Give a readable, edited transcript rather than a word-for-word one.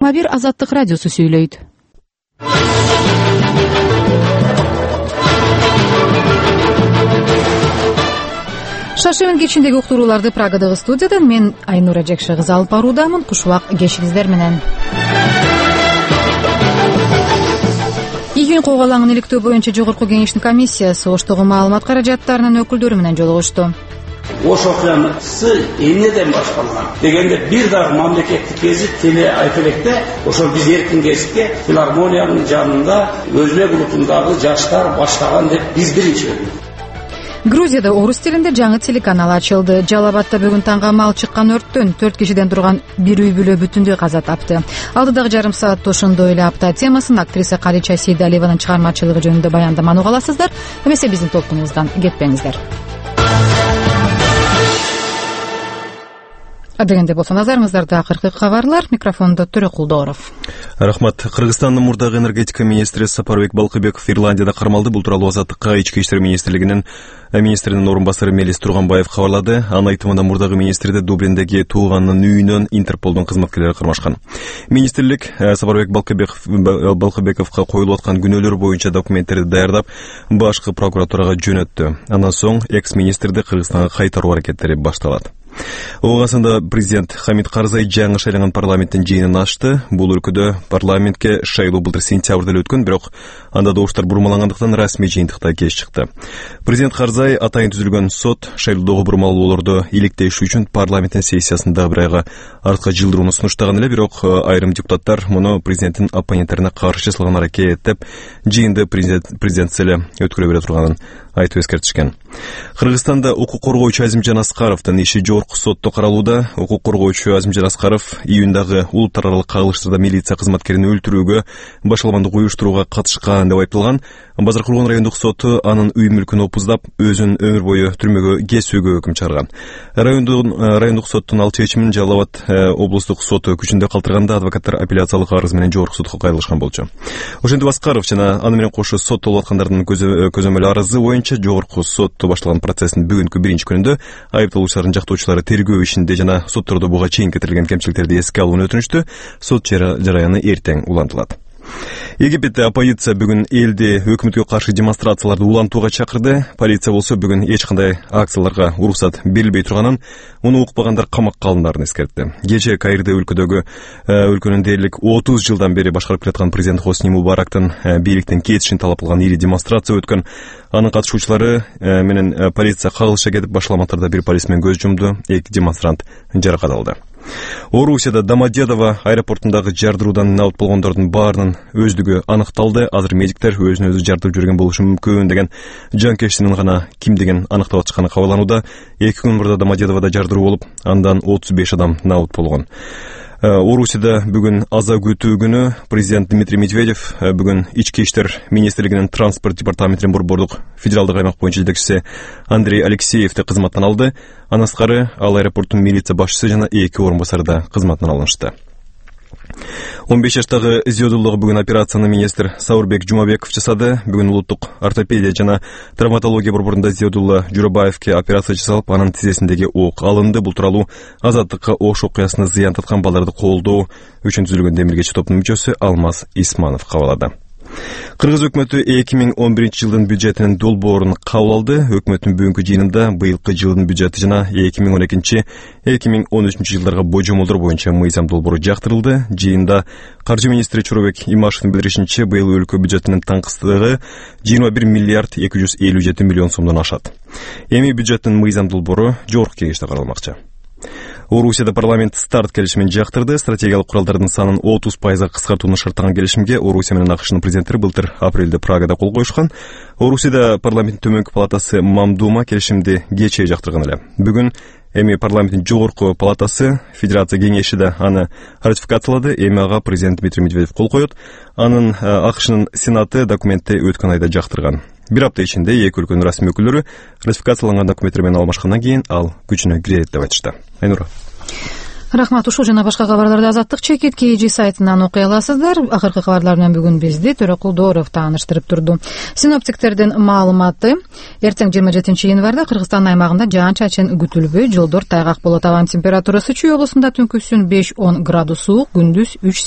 бир Азаттык радиосу сүйлөйт. Шаршемин кечиндеги уктурууларды Прагадагы студиядан мен Айнура Жекше кызы алып баруудамын. Куш убак кешиңиздер менен. Июнь коогалаңын иликтөө боюнча Жогорку кеңештин комиссиясы Оштогу маалымат каражаттарынын өкүлдөрү менен жолугушту. Ош окуясы эмнеден башталган дегенде бир дагы мамлекеттик гезит теле айтып электе ошол биз эркин гезитке филармониянын жанында өзбек улутундагы жаштар баштаган деп биз биринчи көрдүк. Грузияда орус тилинде жаңы телеканал ачылды. Жалал-Абадта бүгүн таңга мал чыккан өрттөн 4 кишиден турган бир үй бүлө бүтүндөй каза тапты. Алдыдагы жарым саатта ошондой эле апта темасын актриса Калича Сейдалиеванын чыгармачылыгы жөнүндө баяндаманы уга аласыздар. Эмесе биздин толкунубуздан кетпеңиздер. Дегенде болсо назарыңыздарда акыркы кабарлар. Микрофондо Төрөкул Дооров. Рахмат. Кыргызстандын мурдагы энергетика министри Сапарбек Балкыбеков Ирландияда кармалды. Бул тууралуу Азаттыкка Ички иштер министрлигинин министринин орун басары Мелис Турганбаев кабарлады. Анын айтымында мурдагы министрди Дублиндеги тууганынын үйүнөн Интерполдун кызматкерлери кармашкан. Министрлик Сапарбек Балкыбековго коюлуп аткан күнөөлөр боюнча документтерди даярдап, башкы прокуратурага жөнөттү. Андан соң экс-министрди Кыргызстанга кайтаруу аракеттери башталат. Оғасында президент Хамид Карзай жаңы шайланган парламенттин жыйынын ачты. Бул өлкөдө парламентке шайлоо былтыр сентябрда өткөн, бирок анда добуштар бурмалангандыктан расмий жыйынтыкта кеч чыкты. Президент Карзай атайын түзүлгөн сот шайлоодогу бурмалоолорду иликтеш үчүн парламенттин сессиясында бир айга артка жылдырууну сунуштаган эле, бирок айрым депутаттар муну президенттин оппоненттерине каршы жасалган аракет деп жыйынды президент эле өткөрө бере турганын айтып эскертишкен. Кыргызстанда укук коргоочу Азимжан Аскаровдун иши жогорку сотто каралууда. Укук коргоочу Азимжан Аскаров июндагы улуттар аралык кагылыштарда милиция кызматкерин өлтүрүүгө, башаламандык уюштурууга катышкан деп айыпталган. Базар Курган райондук соту анын үй мүлкүн опуздап, өзүн өмүр бою түрмөгө кесүүгө өкүм чыгарган. Райондук соттун ал чечимин Жалал-Абад облустук соту күчүндө калтырганда адвокаттар апелляциялык арыз менен жогорку сотко кайрылышкан болчу. Ошентип Аскаров жана аны менен кошо соттолуп аткандардын көзөмөл арызы боюнча жогорку сотто башталган процесстин бүгүнкү биринчи күнүндө айыпталуучулардын жактоочулары тергөө ишинде жана соттордо буга чейин кетирилген кемчиликтерди эске алууну өтүнүштү. Сот жараяны эртең улантылат. Египетте оппозиция бүгүн элди өкмөткө каршы демонстрацияларды улантууга чакырды. Полиция болсо бүгүн эч кандай акцияларга уруксат берилбей турганын, муну укпагандар камакка алындарын эскертти. Кечээ Каирде өлкөнүн дээрлик 30 жылдан бери башкарып келаткан президент Хосни Мубарактын бийликтен кетишин талап кылган ири демонстрация өткөн. Анын катышуучулары менен полиция кагылыша кетип, башаламаттарда бир полисмен көз жумду, 2 демонстрант жаракат алды. Орусияда Домодедово аэропортундагы жардыруудан наут болгондордун баарынын өздүгү аныкталды. Азыр медиктер өзүн өзү жардырып жүргөн болушу мүмкүн деген жанкештинин гана кимдигин аныктап атышканы кабарланууда. 2 күн мурда Домодедоводо жардыруу болуп, андан 35 адам наут болгон. Орусияда бүгүн аза күтүү күнү. Президент Дмитрий Медведев бүгүн Ички иштер министрлигинин транспорт департаментинин борбордук федералдык аймак боюнча жетекчиси Андрей Алексеевди кызматтан алды. Андан тышкары ал аэропорттун милиция башчысы жана 2 орун басары да кызматынан алынышты. 15 жаштагы Зиодуллага бүгүн операцияны министр Саурбек Жумабеков жасады. Бүгүн улуттук ортопедия жана травматология борборунда Зиодулла Журабаевке операция жасалып, анын тизесиндеги ок алынды. Бул тууралуу Азаттыкка Ош окуясына зыян таткан балдарды колдоо үчүн түзүлгөн демиргечи топтун мүчөсү Алмаз Исманов кабарлады. Кыргыз өкмөтү 2011 жылдын бюджетинин долбоорун кабыл алды. Өкмөттүн бүгүнкү жыйынында быйылкы жылдын бюджети жана 2012-2013 жылдарга божомолдор боюнча мыйзам долбоору жактырылды. Жыйында каржы министри Чоробек Имашевдин билдиришинче, быйыл өлкө бюджетинин таңкыстыгы 21 миллиард 257 миллион сомдон ашат. Эми бюджеттин мыйзам долбоору жогорку кеңеште каралмакчы. Орусияда парламент старт келишимин жактырды. Стратегиялык куралдардын санын 30% кыскартууну шарттаган келишимге Орусия менен АКШнын президенттери былтыр апрелде Прагада кол коюшкан. Орусияда парламенттин төмөнкү палатасы Мамдума келишимди кечээ жактырган эле. Бүгүн эми парламенттин жогорку палатасы Федерация кеңеши да аны ратификациялады. Эми ага президент Дмитрий Медведев кол коет. Анын АКШнын сенаты документти өткөн айда жактырган. Бир апта ичинде эки өлкөнүн расмий өкүлдөрү ратификацияланган документтер менен алмашкандан кийин ал күчүнө кирет деп айтышты. Айнура. Рахмат. Ушул жана башка кабарларды Азаттык чекит KG сайтынан окуй аласыздар. Акыркы кабарлар менен бүгүн бизди Төрөкул Дооров тааныштырып турду. Синоптиктердин маалыматы: эртең 27 январда Кыргызстан аймагында жаан-чачын күтүлбөй, жолдор тайгак болот. Абанын температурасы Чүй облусунда түнкүсүн 5-10 градус суук, күндүз 3